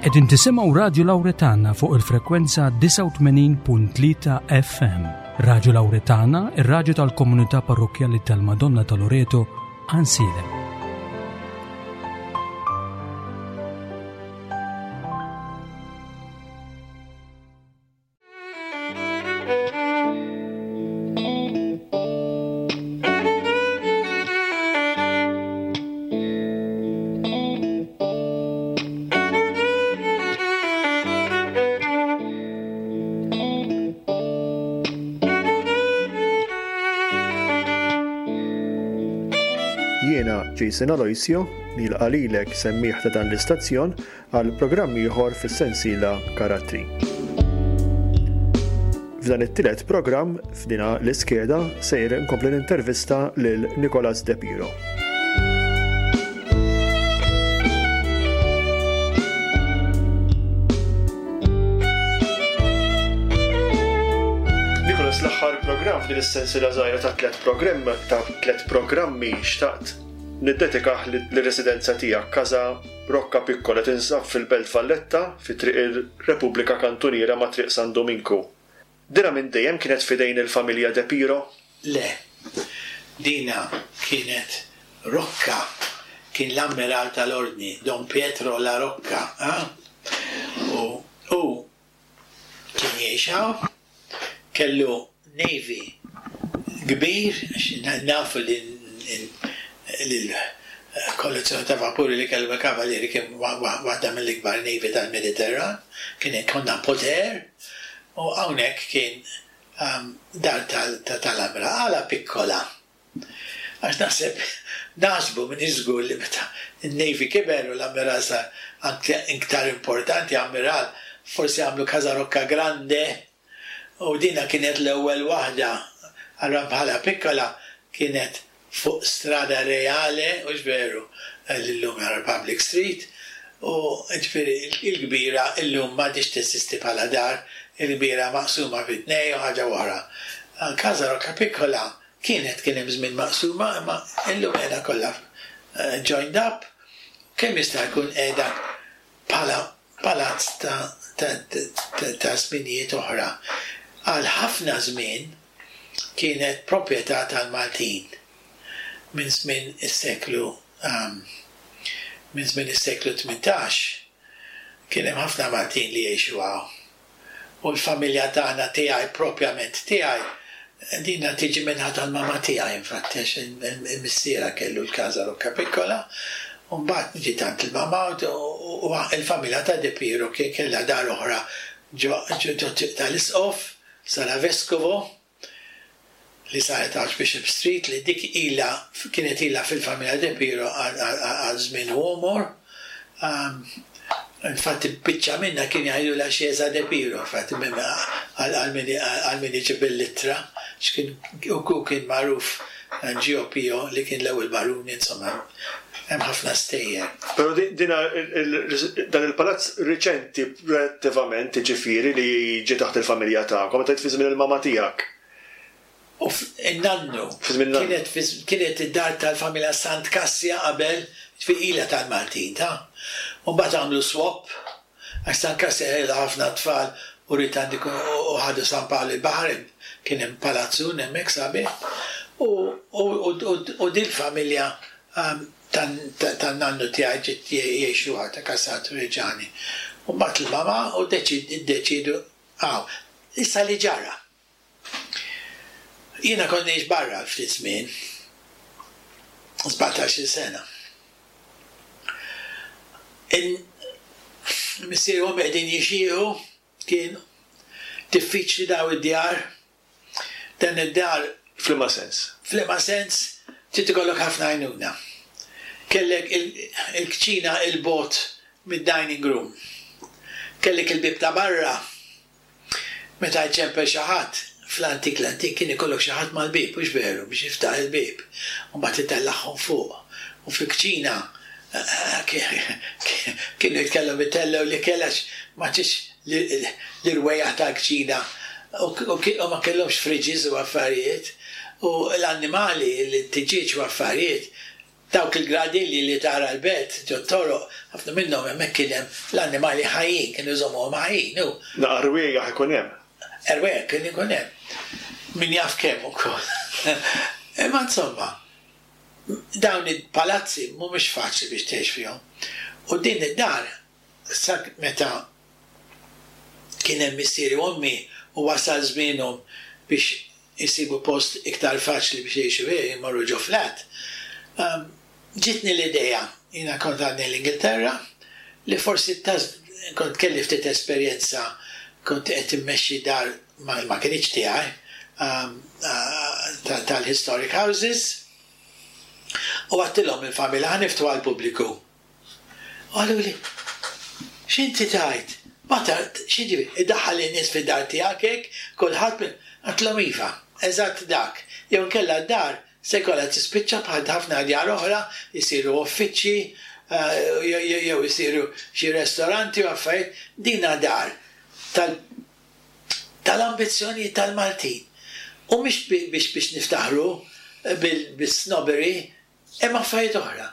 Qegħdin tisimgħu Radju Lawretana fuq il-frekwenza 89.3 FM. Radju Lawretana, ir-radju tal-komunità parrokkjali tal-Madonna ta' Loreto, Ansilem. Jiena Jason Aloisio, nilqa' lilek semmiegħ ta' dan l-istazzjon għal programm ieħor fis-sensiela Karattri. F'dan it-tielet programm f'dina l-iskeda sejjer inkompli nintervista lil Nicolas De Piro. Nicolas l-aħħar programm f'din is-sensiela żgħira ta' tliet programm ta' tliet programmi xtaqt niddedikah lir-residenza tiegħek Casa Rocca Piccola tinsab fil-Belt Valletta, fi Triq ir-Repubblika Kantuniera ma' Triq San Duminku. Dina minn dejjem kienet f'idejn il-familja De Piro? Le. Dina kienet Rocca, kien l-Ammiral tal-Ordni, Don Pietro La Rocca, ah? U hu Kien jgħix hawn, kellu navy kbir, għax nafu li l-kollezzjoni ta' vapuri li kellhom il-Kavalieri kien waħda mill-ikbar navy tal-Mediterran, kien konna poter, u hawnhekk kien dar tal-amra. Għala piccola? Għax naħseb, naħsbu, m'iniex żgur li meta n-Navy kiber u l-Ammiral sar anke iktar importanti, Ammiral, forsi għamlu Casa Rocca Grande u dina kienet l-ewwel waħda, allura bħala piccola kienet fuq Strada Reale, hux veru, li llum hija Republic Street, u ġifieri l-kbira llum m'għadhiex teżisti bħala dar, il-kbira maqsuma fi tnejn u ħaġa oħra. Casa Rocca Piccola Kienet kien hemm żmien maqsuma imma illum qiegħda kollha joined up kemm jista' jkun qiegħda bħala palazz ta' ta' żminijiet oħra. Għal ħafna żmien kienet proprjetà tal-Maltin minn żmien is-seklu minn żmien is-seklu 18 kien hemm ħafna Maltin li jgħixu hawn. U l-familja tagħna tiegħi propjament tiegħi, dina tiġi min-naħa tal-mama tiegħi infatti għax il-missierha kellu l-Casa Rocca Piccola u mbagħad ġiet għand il-mama u l-familja ta' De Piro kien kellha dar oħra ġo ġo tal-Isqof, Sala Vescovo. li saret Archbishop Street li dik ilha kienet ilha fil-familja De Piro għal żmien u għomor. Infatti biċċa minnha kien jgħidulha Chiesa De Piro, infatti għal min iġib il-ittra, x'kien u kien magħruf Gio Pio li kien l-ewwel baruni, insomma hemm ħafna stejjer. Però dina dan il-palazz riċenti relattivament, jiġifieri li ġie taħt il-familja tagħkom, meta fi żmien il-mama tiegħek. U n-nannu. Fi żmien in-nannu. Kienet kienet id-dar tal-familja Sant Kassia qabel, jiġifieri ilha tal-Maltin, ta. U mbagħad għamlu swap, għax Sant Kassia kellha ħafna tfal u ried għand ikun u ħadu San Pawl il-Baħar, kien hemm palazzun hemmhekk sabiħ. U u dil-familja tan-nannu tiegħi ġiet jgħixuha ta' Casat Reggiani. U mbagħad il-mama u ddeċiedu hawn. Issa li ġara. Jiena kont ngħix barra għal ftit żmien, 17-il sena. Missieri u ommi qegħdin jixjieħu, kien diffiċli daw id-djar. Dan id-dar. F'liema sens? F'liema sens, trid ikollok ħafna għajnuna. Kellek il-kċina 'il bogħod mid-dining room. Kellek il-bieb ta' barra Meta jċempel xi ħadd, fl-antik l-antik kien ikollok xi ħadd mal-bieb, hux veru, biex jiftaħ il-bieb, u mbagħad itellagħhom fuq. U fil-kċina kienu jitkellhom itellgħu l-ikel għax ma tridx l-irwejjaħ tal-kċina u ma kellhomx fridges u affarijiet u l-annimali, it-tiġieġ u affarijiet. Dawk il-gradilji li tara l-belt ġot-toroq, ħafna minnhom hemmhekk kien hemm l-annimali ħajjin, kienu jżommuhom ħajjin u. Naqa' rwiejaħ ikun hemm. Rwejjaħ kien ikun hemm. Min jaf kemm ukoll. Imma insomma, dawn il-palazzi mhumiex faċli biex tgħix fihom. U din id-dar sa meta kien hemm missieri u ommi u wasal żmienhom biex isibu post iktar faċli biex jgħixu fih, jmorru ġo flat, ġietni l-idea, jiena kont għadni l-Ingilterra, li forsi kont kelli ftit esperjenza, kont qed immexxi dar ma kinitx tiegħi, tal-historic houses, u għedtilhom il-familja ħa niftħu għall-pubbliku. Qaluli, X'inti tgħid? Ma ta, x'jiġifieri, iddaħħal lin-nies fid-dar tiegħek hekk, kulħadd minn. Għedtilhom iva, eżatt dak. Jew inkella d-dar se jkollha tispiċċa bħal ħafna djar oħra, isiru uffiċċji, jew isiru xi restoranti u affarijiet. Dina dar tal, tal-ambizzjonijiet tal-Maltin. U mhix biex biex niftaħru bil-snobbery, Hemm affarijiet oħra.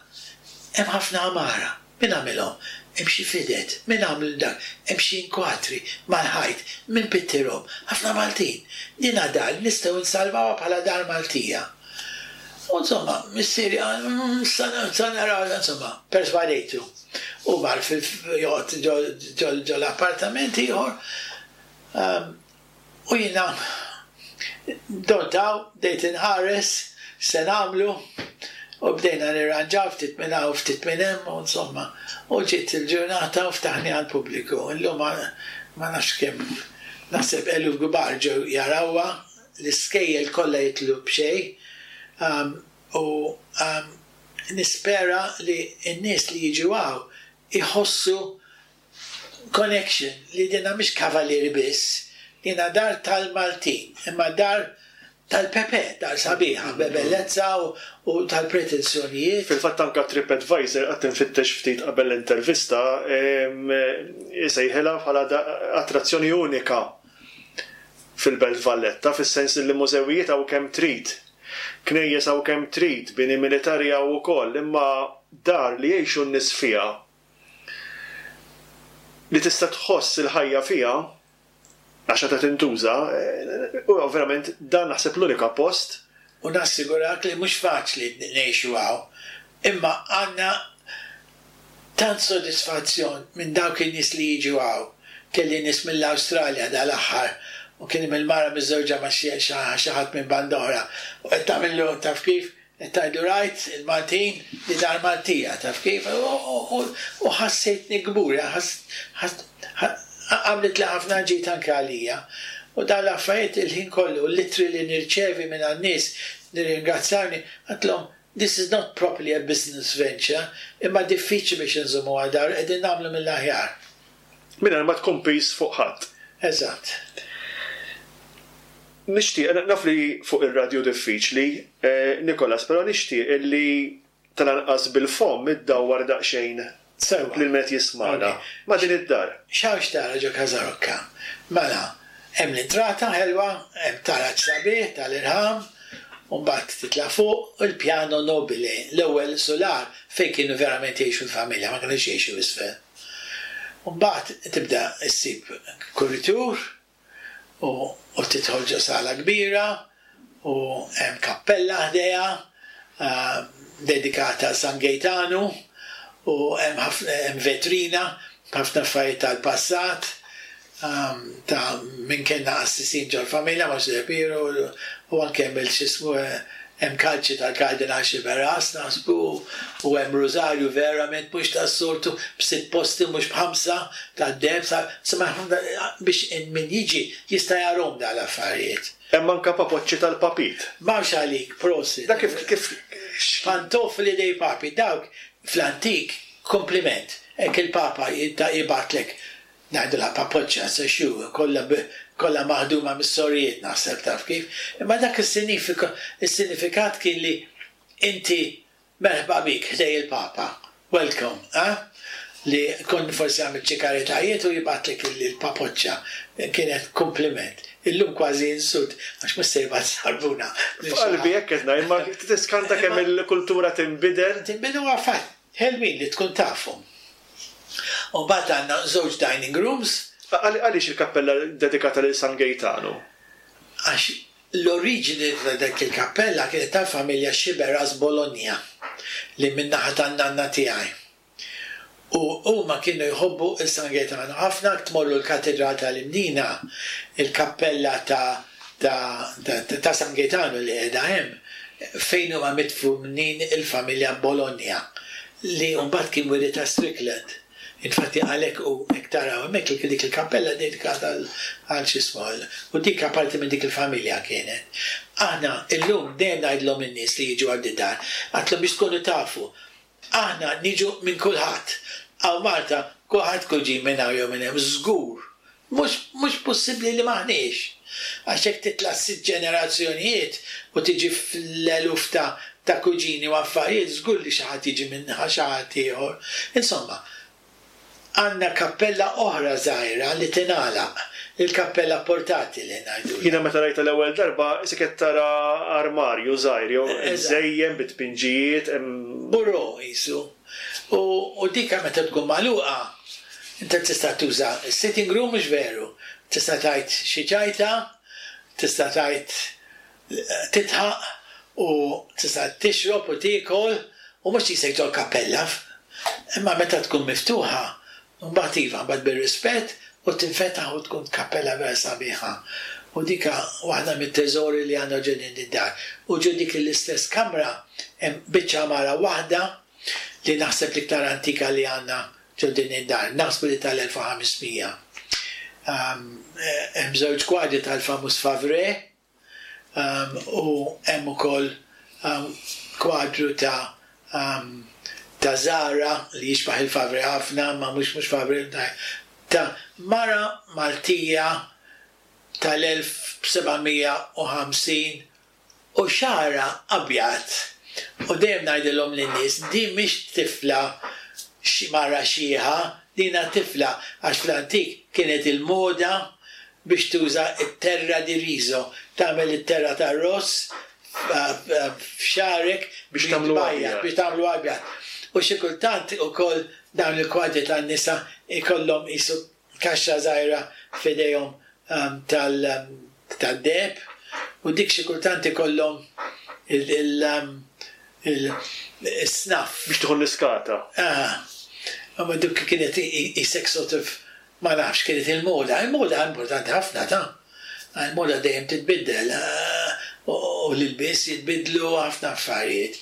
Hemm ħafna għamara. Min għamilhom? Hemm xi fided. Min għamlu dak? Hemm xi inkwatri mal-ħajt. Min pittirhom? Ħafna Maltin. Dina dar li nistgħu nsalvawha bħala dar Maltija. U insomma, missieri qal, sa naraw, insomma, perswadejtu. U mar joqgħod ġol-appartament ieħor. U jiena dort hawn bdejt inħares x'se nagħmlu u bdejna nirranġaw ftit minn hawn u ftit minn hemm u insomma u ġiet il-ġurnata u ftaħni għall-pubbliku. Illum ma nafx kemm naħseb eluf kbar ġew jarawha, l-iskejjel kollha jidħlu b'xejn u nispera li n-nies li jiġu hawn iħossu connection li dinha mhix Cavalieri biss, dinha dar tal-Maltin, imma dar tal-Pepe, dar sabiħa, b'bellezza u tal-pretensjonijiet. Fil-fatt anke TripAdvisor qgħadt infittex ftit qabel l-intervista, isejħilha bħala attrazzjoni unika fil-Belt Valletta, fis-sens li mużewijiet hawn kemm trid, knejjes hawn kemm trid, bini militari hawn ukoll, imma dar li jgħixu n-nies fiha li tista' tħoss il-ħajja fiha għax għadha tintuża, huwa verament dan naħseb l-unika post. U nassigurak li mhux faċli ngħixu hawn, imma għandna tant sodisfazzjon minn dawk in-nies li jiġu hawn. Kelli nies mill-Awstralja dal-aħħar u kien hemm il-mara miżżewġa ma' xi ħadd minn banda oħra u qed tagħmillu taf kif, Qed tgħidlu rajt il-Maltin li dar Maltija, taf kif? U ħassejtni kburi, għamlitli ħafna ġid anke għalija. U dawn l-affarijiet il-ħin kollu, l-ittri li nirċevi mingħand nies nirringrazzjawni, għedtilhom this is not properly a business venture, imma diffiċli biex inżommuha dar, qegħdin nagħmlu mill-aħjar. Mingħajr ma tkun piż fuq ħadd. Eżatt. Nixtieq, naf li fuq ir-radju diffiċli, Nicholas, però nixtieq illi tal-anqas bil-fomm iddawwar daqsxejn lil min qed jismagħna ma' din id-dar. X'hawn x'tara ġo Casa Rocca? Mela, hemm l-intrata ħelwa, hemm taraġ sabiħ tal-irħam, u mbagħad titla' fuq, u l-piano nobile, l-ewwel sular fejn kienu verament jgħixu l-familja, ma kinux jgħixu isfel. U mbagħad tibda ssib kuritur u u tidħol ġo sala kbira u hemm kappella ħdejha dedikata għal San Gejtanu u hemm ħafna hemm vetrina b'ħafna affarijiet tal-passat ta' min kellna qassisin ġol-familja, Monsinjur Piru u anke hemm il-x'ismu Hemm kalċi tal-Kardinal Sciberras, naħsbu, u hemm rużarju verament mhux tas-soltu, b'sitt posti mhux b'ħamsa, tad-deheb, sa, insomma hemm ħafna biex min jiġi jista' jarahom dawn l-affarijiet. Hemm anke papoċċi tal-papit. M'hawnx għalik, prosit. Dak kif, kif, Pantofoli dei papi, dawk fl-antik, kumpliment, hekk il-Papa jibgħatlek Ngħidulha papoċċa, sa xu, kollha kollha maħduma mis-sorijiet naħseb taf kif. Imma dak is-sinifika is-sinifikat kien li inti merħba bik ħdej il-Papa. Welcome, eh? li kont forsi għamilt xi karitajiet u jibgħatlek il-papoċċa. Kienet kumpliment. Illum kważi insult għax mhux se jibgħat żarbuna. F'qalbi hekk qed ngħid, imma tiskanta kemm il-kultura tinbidel. Tinbidel huwa fatt. Ħelwin li tkun tafhom. U mbagħad għandna żewġ dining rooms. Għaliex il-kappella dedikata lil San Gejtanu? Għax l-oriġini ta' dik il-kappella kienet tal-familja Sciberras Bologna li min-naħa tan-nanna tiegħi. U huma kienu jħobbu 'l San Gaetano ħafna, jekk tmorru l-Katidral tal-Imdina, il-kappella ta' ta' ta' San Gaetano li qiegħda hemm, fejn huma midfunin il-familja Bologna, li mbagħad kien wiritha Strickland. Infatti għalhekk hu hekk taraw hemmhekk li dik il-kappella dedikata għal x'ismu għal u dik apparti minn dik il-familja kienet. Aħna illum dejjem ngħidlhom lin-nies li jiġu għal di-dar, għedtlhom biex tkunu tafu, Aħna niġu minn kulħadd. Hawn Malta kulħadd kuġin minn hawn jew minn hemm, żgur. Mhux mhux possibbli li m'aħniex. Għax jekk titla' sitt ġenerazzjonijiet u tiġi fl-eluf ta' ta' kuġini u affarijiet, żgur li xi ħadd jiġi minn xi ħadd ieħor. Insomma, Għandna kappella oħra żgħira li tingħalaq, il-kappella portatile ngħidulha. Jiena meta rajtha l-ewwel darba qisek qed tara armarju żgħir jew imżejjen bit-tpinġijiet hemm. Bureau qisu. U dika meta tkun magħluqa inti tista' tuża s-sitting room mhux veru? Tista' tgħid xi ċajta, tista' tgħid tidħaq u tista' tixrob u tiekol u mhux qisek ġol kappella. Imma meta tkun miftuħa, mbagħad iva, mbagħad bir-rispett u tinfetaħ u tkun kappella vera sabiħa. U dika waħda mit-teżori li għandna ġo din id-dar. U ġo dik l-istess kamra hemm biċċa għamara waħda li naħseb l-iktar antika li għandna ġo din id-dar, naħsbu li tal-1500. Hemm żewġ kwadri tal-famuż Favre u hemm ukoll kwadru ta' ta' Zara li jixbaħ il-Favre ħafna imma mhux mhux Favre ta' mara Maltija tal-1750 u xagħarha abjad u dejjem ngħidilhom lin-nies din mhix tifla xi mara xiħa dina tifla għax fl-antik kienet il-moda biex tuża t-terra di riso tagħmel it-terra tar-ross f'xagħrek biex tagħmlu abjad biex tagħmlu abjad u xi kultant ukoll dawn il-kwadri tan-nisa jkollhom qisu kaxxa żgħira f'idejhom tad-deheb u dik xi kultant ikollhom il-snuff. Biex tieħu l-iskata. Aha. Imma dik kienet qisek sort of ma nafx, kienet il-moda. Il-moda importanti ħafna ta'. Il-moda dejjem titbiddel u l-ilbies jitbiddlu ħafna affarijiet.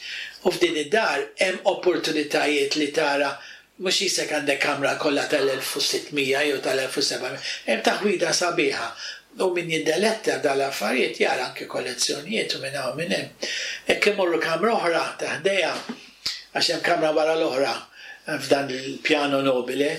U f'din id-dar hemm opportunitajiet li tara Mhux qisek għandek kamra kollha tal-1600 jew tal-1700, hemm taħwida sabiħa u min jiddeletta dal-affarijiet jara anke kollezzjonijiet u minn hawn u minn hemm. Hekk immorru kamra oħra ta' ħdejha, għax hemm kamra wara l-oħra f'dan il-piano nobile,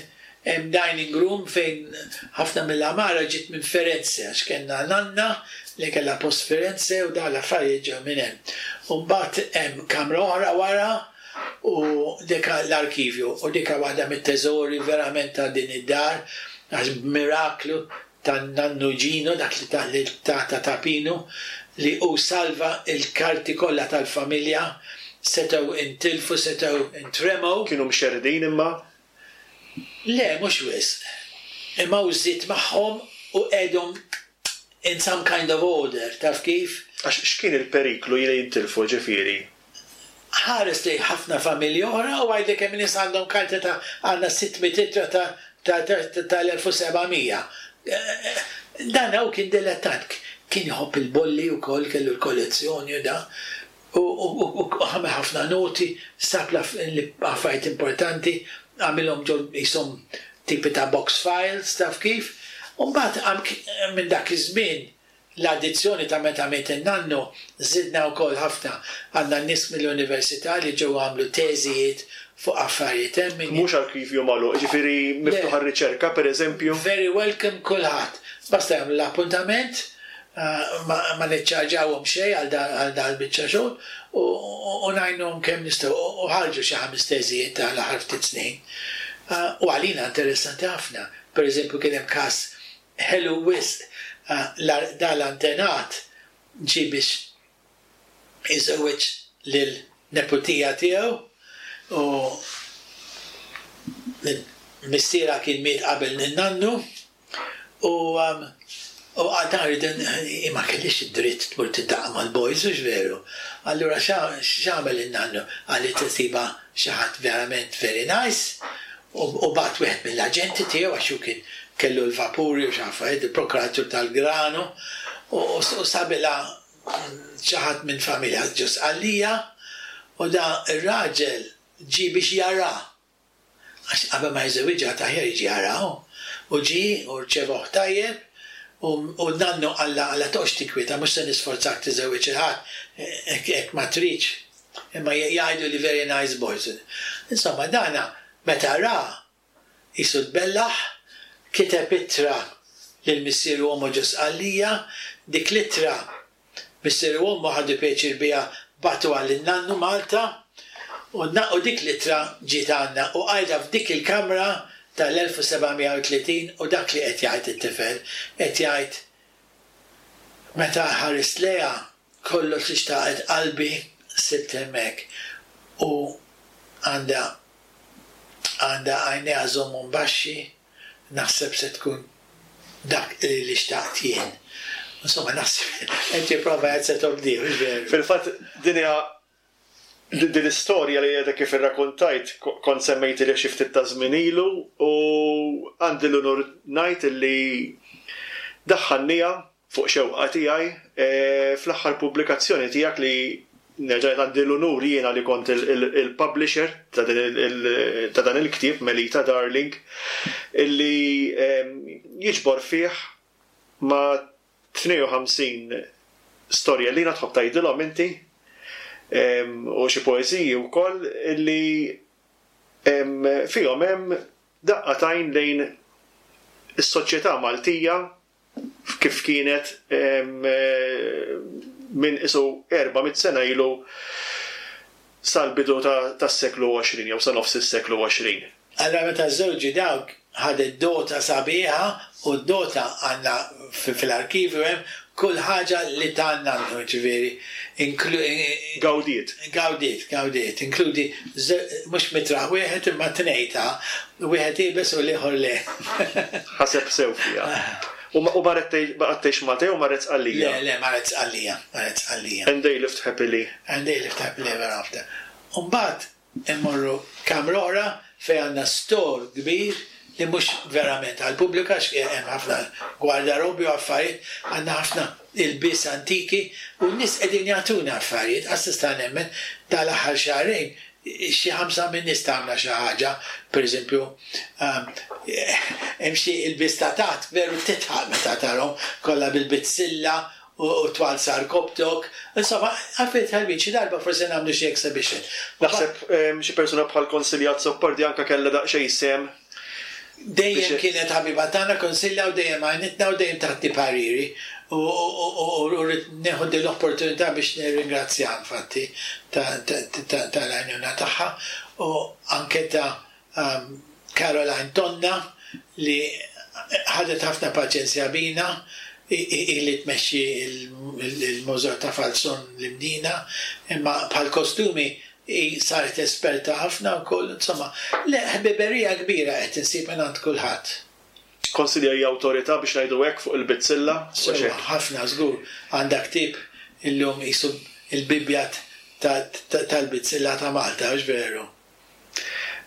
hemm dining room fejn ħafna mill-għamara ġiet minn Firenze għax kellna nanna li kellha post Firenze u dawn l-affarijiet ġew minn hemm. U mbagħad hemm kamra oħra wara u dika l-arkivju u dika waħda mit-teżori verament ta' din id-dar għax b'miraklu tan-nannu Ġino dak li ta lil tata ta' Pinu li hu salva l-karti kollha tal-familja setgħu intilfu setgħu intremew. Kienu mxerrdin imma? Le mhux wisq. Imma hu żied magħhom u qegħedhom in some kind of order, taf kif? Għax x'kien il-periklu li jintilfu ġifieri? Ħares lejn ħafna familji oħra u għidli kemm nies għandhom karti ta' għandna 600 ittra ta' ta' tal-1700. Dan hawn kien dilettant, kien iħobb il-bolli wkoll, kellu l-kollezzjoni u da. U għamel ħafna noti, sab l-affarijiet importanti, għamilhom ġo qishom tipi ta' box files, taf kif. U mbagħad minn dak iż-żmien, l-addizzjoni ta' meta miet in-nannu, żidna wkoll ħafna. Għandna nies mill-università li ġew għamlu teżijiet fuq affarijiet hemm min. Mhux arkivju magħluq, jiġifieri miftuħ għar-riċerka, pereżempju? Very welcome kulħadd. Basta jagħmlu l-appuntament. Ma niċċarġawhom xejn għal dan il-biċċa xogħol u ngħinuhom kemm nistgħu u ħarġu xi ħames teżijiet ta' l-aħħar ftit snin. U għalina interessanti ħafna. Per eżempju kien hemm każ ħelu wisq dal-antenat ġie biex iżewweġ lil neputija tiegħu u missierha kien miet qabel in-nannu u u dan rridu hi ma kellhiex id-dritt tmur tiltaqa' mal-boys hux veru? Allura x'għamel in-nannu? Qal li tisibha xi ħadd verament very nice u bagħat wieħed mill-aġenti tiegħu għax hu kien kellu l-vapuri u x'affarijiet, il-prokuratur tal-granu u sabilha xi ħadd minn familja ġo Sqallija u da r-raġel ġie biex jara għax qabel ma jiżżewwiġha għad aħjar jiġi jara hu. U ġie u rċevoh tajjeb u u n-nannu qallha qallha toqgħodx tinkwieta mhux se nisforzak tiżżewweġ 'il ħadd hekk hekk ma tridx imma jgħidu li very nice boys. Insomma dana meta ra Qisu tbellaħ, kiteb ittra lil missieru u ommu ġo Sqallija. Dik l-ittra missieru u ommu ħadu pjaċir biha bagħtuha lin-nannu Malta u u dik l-ittra ġiet għandna u qiegħda f'dik il-kamra tal-1730 u dak li qed jgħid it-tifel, qed jgħid meta ħarist lejha kollox li xtaqet qalbi sibt hemmhekk u għandha Għandha għajnejha żommhom baxxi, naħseb se tkun dak li xtaqt jien. Insomma, naħseb qed jipprova jgħid se tobdih, hux veru? Fil-fatt, din hija din l-istorja li għadek kif irrakuntajt kont semmejtilha xi ftit ta' żmien ilu u għandi l-unur ngħid illi daħħalniha fuq xewqa tiegħi, fl-aħħar pubblikazzjoni tiegħek li nerġa' ngħid għandi l-unur jiena li kont il-publisher ta' dan il-ktieb Melita Darling illi jiġbor fih ma' 52 storjellina tħobb tgħidilhom inti u xi poeżiji wkoll illi fihom hemm daqqa t'għajn lejn is-soċjetà Maltija kif kienet minn qisu 400 sena ilu sal-bidu tas-seklu 20 jew sa nofs is-seklu 20. Allura meta żżewġu dawk ħadet dota sabiħa u d-dota għandna fil-arkivju hemm kull ħaġa li ta n-nannu jiġifieri Gawdiet. Gawdiet, gawdiet, inkludi mhux mitraħ wieħed imma tnejn ta, wieħed iebes u l-ieħor le. Ħaseb sew fiha. U marret tgħix, baqgħet tgħix Malta jew marret Sqallija? Le, le, marret Sqallija, marret Sqallija. And they lived happily. And they lived happily ever after. U mbagħad Immorru kamra oħra fejn għandna store kbir li mhux verament għall-pubbliku għax hemm ħafna gwardarobbi u affarijiet, għandna ħafna ilbies antiki u n-nies qegħdin jagħtuna affarijiet, qas nista' nemmen dal-aħħar xahrejn xi ħamsa min-nies tawna xi ħaġa, pereżempju hemm xi ilbies ta' taħt veru tidħaq meta tarhom kollha bil-bizzilla u twal sar koptok, insomma affarijiet ħelwin xi darba forsi nagħmlu xi exhibition. Naħseb xi persuna bħal Consilia Azzopardi anke kellha daqsxejn sehem Dejjem kienet ħabiba tagħna Consilia u dejjem għinitna u dejjem tagħti pariri u rrid nieħu din l-opportunità biex nirringrazzjaha infatti tal-għajnuna tagħha u anke ta' Caroline Tonna li ħadet ħafna paċenzja bina, hi li tmexxi l-Mużew ta' Falzon l-Imdina, imma bħall-kostumi hi saret esperta ħafna wkoll, insomma, le ħbiberija kbira qed insib mingħand kulħadd. Konsilja hija awtorità biex ngħidu hekk fuq il-bizzilla? Sewwa, ħafna żgur. Għandha ktieb illum qisu l-Bibbja tal-bizzilla ta' Malta, hux veru?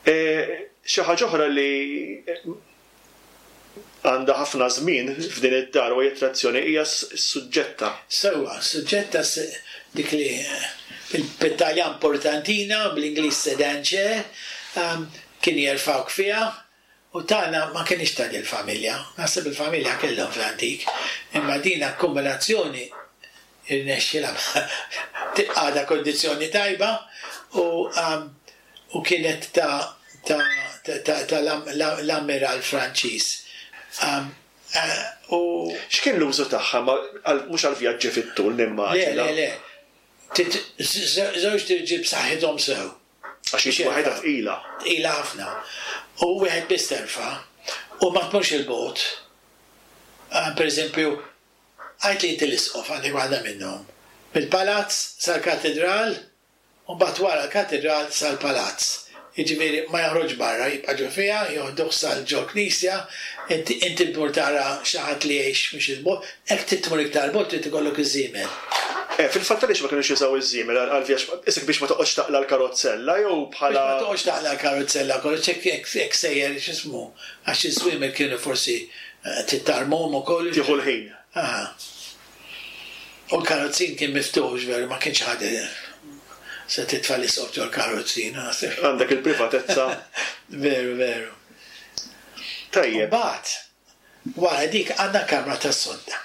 Xi ħaġa oħra li għandha ħafna żmien f'din id-dar u hija attrazzjoni hija s-suġġetta. Sewwa, s-suġġetta dik li bit-Taljan portantina, bl-Ingliż sedan chair, kien jerfgħuk fiha U tagħna ma kinitx ta' dil-familja. Naħseb il-familja kellhom fl-antik, imma din akkumulazzjoni irnexxielha tibqa' għadha kondizzjoni tajba u u kienet ta' ta' ta' ta' l-ammiral Franċiż. U. X'kien l-użu tagħha? Mhux għall-vjaġġi fit-tul nimmaġina. Le, le, le. Żewġt irġiel b'saħħithom sew. Għax hi waħedha tqila. Tqila ħafna. U wieħed biss terfa' u ma tmurx 'il bogħod. Pereżempju, għidli inti l-isqof għandek waħda minnhom. Mill-palazz sal-katidral u mbagħad wara l-katidral sal-palazz. Jiġifieri ma joħroġx barra, jibqa' ġo fiha, joħduh sal ġo knisja, inti inti tmur tara xi ħadd li jgħix mhux 'il bogħod, hekk trid tmur iktar 'il bogħod trid ikollok iż-żiemel. Eh, fil-fatt għaliex ma kinux jużaw iż-żiemel għall-vjaġġ, isek biex ma toqgħodx taqla' l-karozzella jew bħala. Biex ma toqgħodx taqla' l-karozzella kollox hekk hekk hekk sejjer x'ismu, għax iż-żwiemel kienu forsi trid tarmhom ukoll. Tieħu l-ħin. Aha. U l-karozzin kien miftuħ hux veru, ma kienx ħadd se titfa' l-isqof ġol-karozzin, naħseb. Għandek il-privatezza. Veru, veru. Tajjeb. Imbagħad, wara dik għandna kamra tas-sodda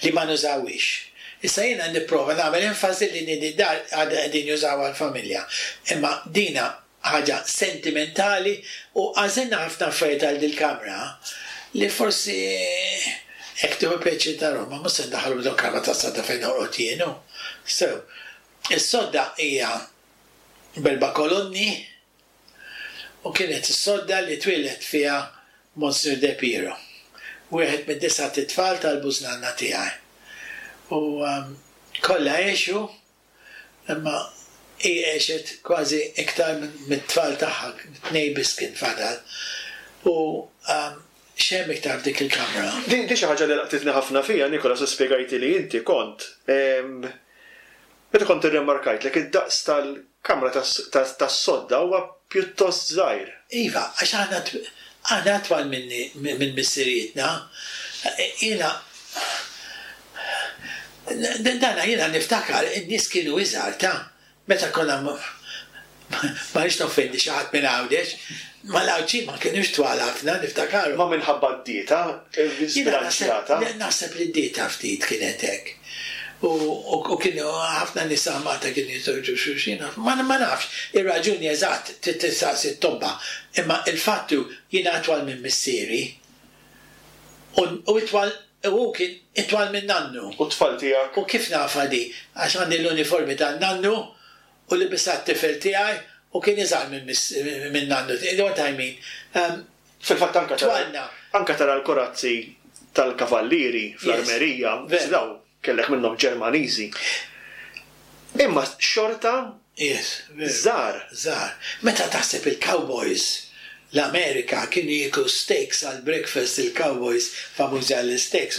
li ma nużawhiex. Issa jiena nipprova nagħmel enfasi li din id-dar għadha qegħdin jużawha l-familja. Imma dina ħaġa sentimentali u għażilna ħafna affarijiet għal dil-kamra li forsi hekk tieħu pjaċir tarahom, ma mhux se ndaħħalhom ġol kamra tas-sodda fejn norqod jien hu. So, is-sodda hija b'erba' kolonni u kienet is-sodda li twieled fiha Monsignor De Piro, wieħed mid-disat itfal tal-bużnanna tiegħi. U kollha għexu Imma hi għexet kważi iktar mit-tfal tagħha, tnejn biss kien fadal. U x'hemm iktar f'dik il-kamra? Din xi ħaġa li laqtitni ħafna fiha, Nicholas, u spjegajtili inti kont meta kont irrimarkajtlek id-daqs tal-kamra tas-sodda huwa pjuttost żgħir. Iva, għax aħna aħna atwal minni minn missirijietna. Jiena Dana jiena niftakar in-nies kienu iżgħar ta' meta konna ma rridx noffendi xi ħadd minn Għawdex, ma l-Għawdxin ma kinux twal ħafna niftakarhom. Ma minħabba d-dieta żbilanċjata? Jiena naħseb li d-dieta ftit kienet hekk. U kienu ħafna nisa Malta kienu jiżżewġu xulxin, ma nafx ir-raġuni eżatt trid tistaqsi t-tobba, imma il-fatt hu jiena itwal minn missieri. U itwal, u hu kien itwal minn nannu. U t-tfal tiegħek? U kif nafha di? Għax għandi l-uniformi tan-nannu u libisha t-tifel tiegħi u kien iżgħar minn nannu tiegħi. You know what I mean? Fil-fatt anke tara, anke tara l-korazzi tal-kavallieri fl-armerija, dawn Kellek minnhom Ġermaniżi. Imma xorta żgħar. Żgħar. Meta taħseb il-cowboys, l-Amerika kienu jieklu steaks għall-breakfast il-cowboys famużi għall-isteaks.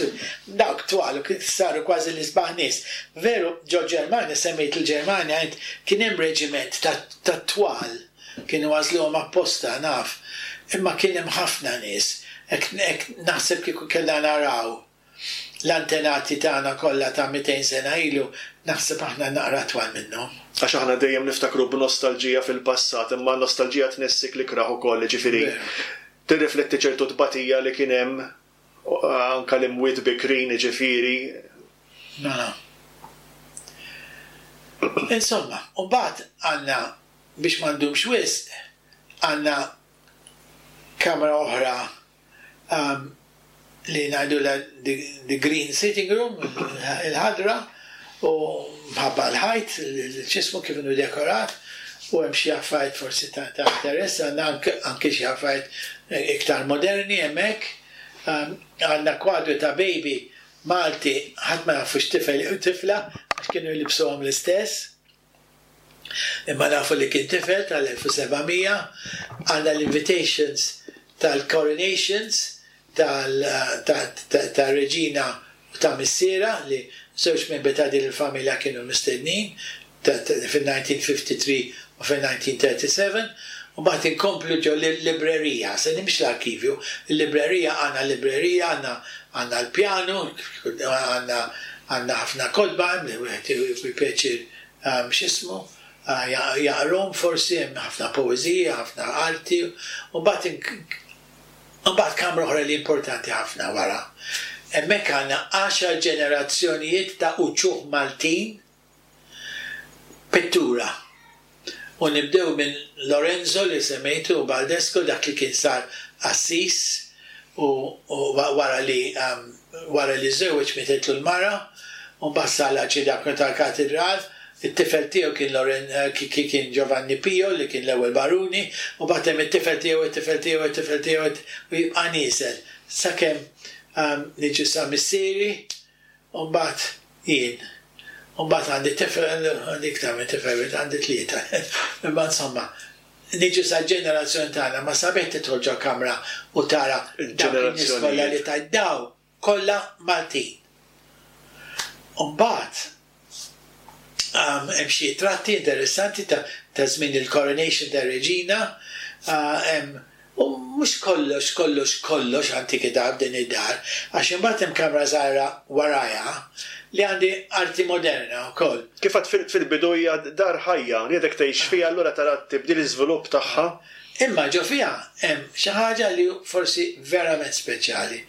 Dawk twal u saru kważi l-isbaħ nies. Veru ġo Ġermanja, semmejt il-Ġermanja int, kien hemm reġiment ta' twal. Kienu għażluhom apposta, naf. Imma kien hemm ħafna nies. Hekk naħseb kieku kellna naraw. L-antenati tagħna kollha ta' 200 sena ilu naħseb aħna naqra twal minnhom. Għax aħna dejjem niftakru b'nostalġija fil-passat, imma n-nostalġija tnessik l-ikrah ukoll, jiġifieri tirrifletti ċertu tbatija li kien hemm, anke l-imwiet bikrin, jiġifieri. Mela. Insomma, u mbagħad għandna, biex ma ndumx wisq, għandna kamra oħra li ngħidulha the green sitting room, il-ħadra, u mħabba l-ħajt, x'ismu kif inhu dekorat, u hemm xi affarijiet forsi ta' interess, għandna anke xi affarijiet iktar moderni hemmhekk. Għandna kwadru ta' baby Malti ħadd ma jaf hux tifel jew tifla għax kienu jlibsuhom l-istess. Imma nafu li kien tifel tal-1700, għandna l-invitations tal-coronations tar-reġina u ta' missierha li żewġ membri ta' din il-familja kienu mistednin fil-1953 u fil-1937 u mbagħad inkomplu ġo l-librerija, se mhix l-arkivju, il-librerija għandna librerija, għandna għandna l-pjanu, għandna għandna ħafna kotba hemm li wieħed jieħu pjaċir x'ismu, jaqrahom forsi, hemm ħafna poeżija, ħafna arti, u mbagħad imbagħad kamra oħra li importanti ħafna wara. Hemmhekk għandna għaxar ġenerazzjonijiet ta' uċuħ Maltin pittura. U nibdew minn Lorenzo li semmejtu u Baldesco dak li kien sar qassis u wara li wara li żżewweġ mietitlu l-mara u mbagħad sar l-arċidjaknu tal-katidral. It-tifel tiegħu kien Loren kien Giovanni Pio li kien l-ewwel baruni, u mbagħad hemm it-tifel tiegħu, it-tifel tiegħu, it-tifel tiegħu u jibqa' nieżel sakemm niġu sa missieri u mbagħad jien. U mbagħad għandi tifel, għandi iktar minn tifel wieħed, għandi tlieta. Imma insomma, niġu sal-ġenerazzjoni tagħna, ma sabiħ tidħol ġo kamra u tara dawk in-nies kollha li tajt daw kollha Maltin. U mbagħad hemm xi tratti interessanti ta' żmien il-coronation tar-reġina, hemm u mhux kollox kollox kollox antikità f'din id-dar, għax imbagħad hemm kamra żgħira warajha li għandi arti moderna wkoll. Kif għedt fil-bidu hija dar ħajja li għadek tgħix fiha allura tara t-tibdil l-iżvilupp tagħha. Imma ġo fiha hemm xi ħaġa li forsi verament speċjali.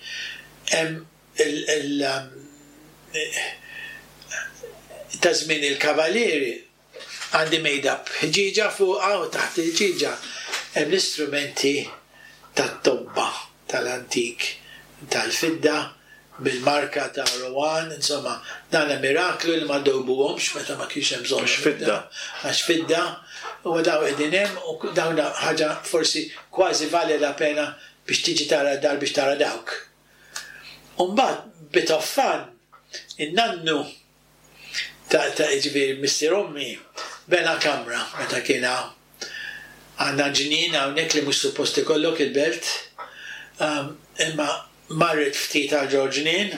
Hemm il ta' żmien il-Kavalieri għandi mejda b'ħġieġa fuqha u taħt il-ħġieġa hemm l-istrumenti tat-tobba tal-antik tal-fidda bil-marka ta' Rouen, insomma, dan miraklu li ma dewbuhomx meta ma kienx hemm bżonn. Għax fidda. Għax fidda, u dawn qegħdin hemm u dawn ħaġa forsi kważi vale la pena biex tiġi tara d-dar biex tara dawk. U mbagħad bit of fun, in-nannu ta' ta' jiġifieri missier ommi bena kamra meta kien hawn. Għandna ġnien hawnhekk li mhux suppost ikollok il-belt, imma marret ftit għal ġo ġnien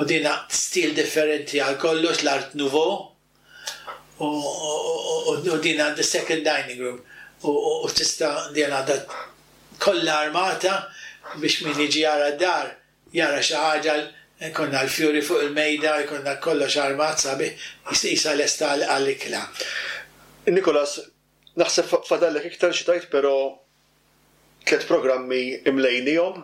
u dina stil differenti għal kollox l-Art Nouveau u din għandi second dining room u tista' din għandha kollha armata biex min jiġi jara d-dar jara xi ħaġa jkollna l-fjuri fuq il-mejda jkollna kollox armat sabiħ qisha lesta għall-ikla. Nicholas, naħseb fadallek iktar xi tgħid però tlett programmi imlejnihom.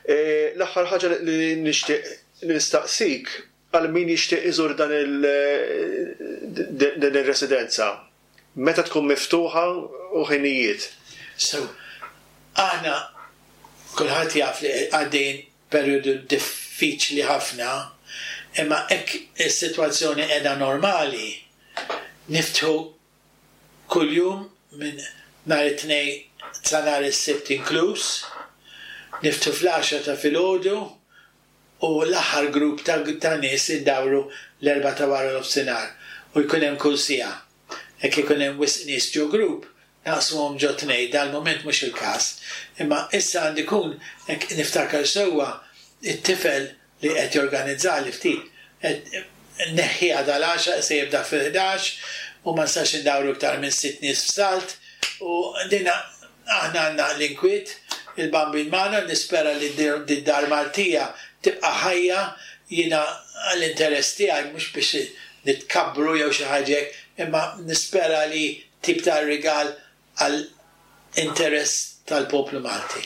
L-aħħar ħaġa li nixtieq nistaqsik għal min jixtieq iżur dan il din ir-residenza, meta tkun miftuħa u ħinijiet? So, aħna kulħadd jaf li għaddejjin perjodu diffiċli ħafna, imma hekk is-sitwazzjoni qiegħda normali, niftħu kuljum minn nhar it-Tnejn sa nhar is-Sibt inkluż, niftħu fl-għaxra ta' filgħodu u l-aħħar grupp ta' ta' nies indawru l-erbgħa ta' wara nofsinhar u jkun hemm kull siegħa. Jekk ikun hemm wisq nies ġo grupp, naqsmuhom ġo tnejn, dal-mument mhux il-każ. Imma issa għandi jkun, jekk niftakar sewwa, it-tifel li qed jorganizzali ftit, qed neħħiha dal-għaxra se jibda fil-ħdax u ma nistax indawru iktar minn sitt nies f'salt u din aħna għandna l-inkwiet, il-Bambin magħna, nispera li d-dar Maltija tibqa' ħajja, jiena l-interess tiegħi mhux biex nitkabbru jew xi ħaġa hekk, imma nispera li tip ta' rigal għal interess tal-poplu Malti.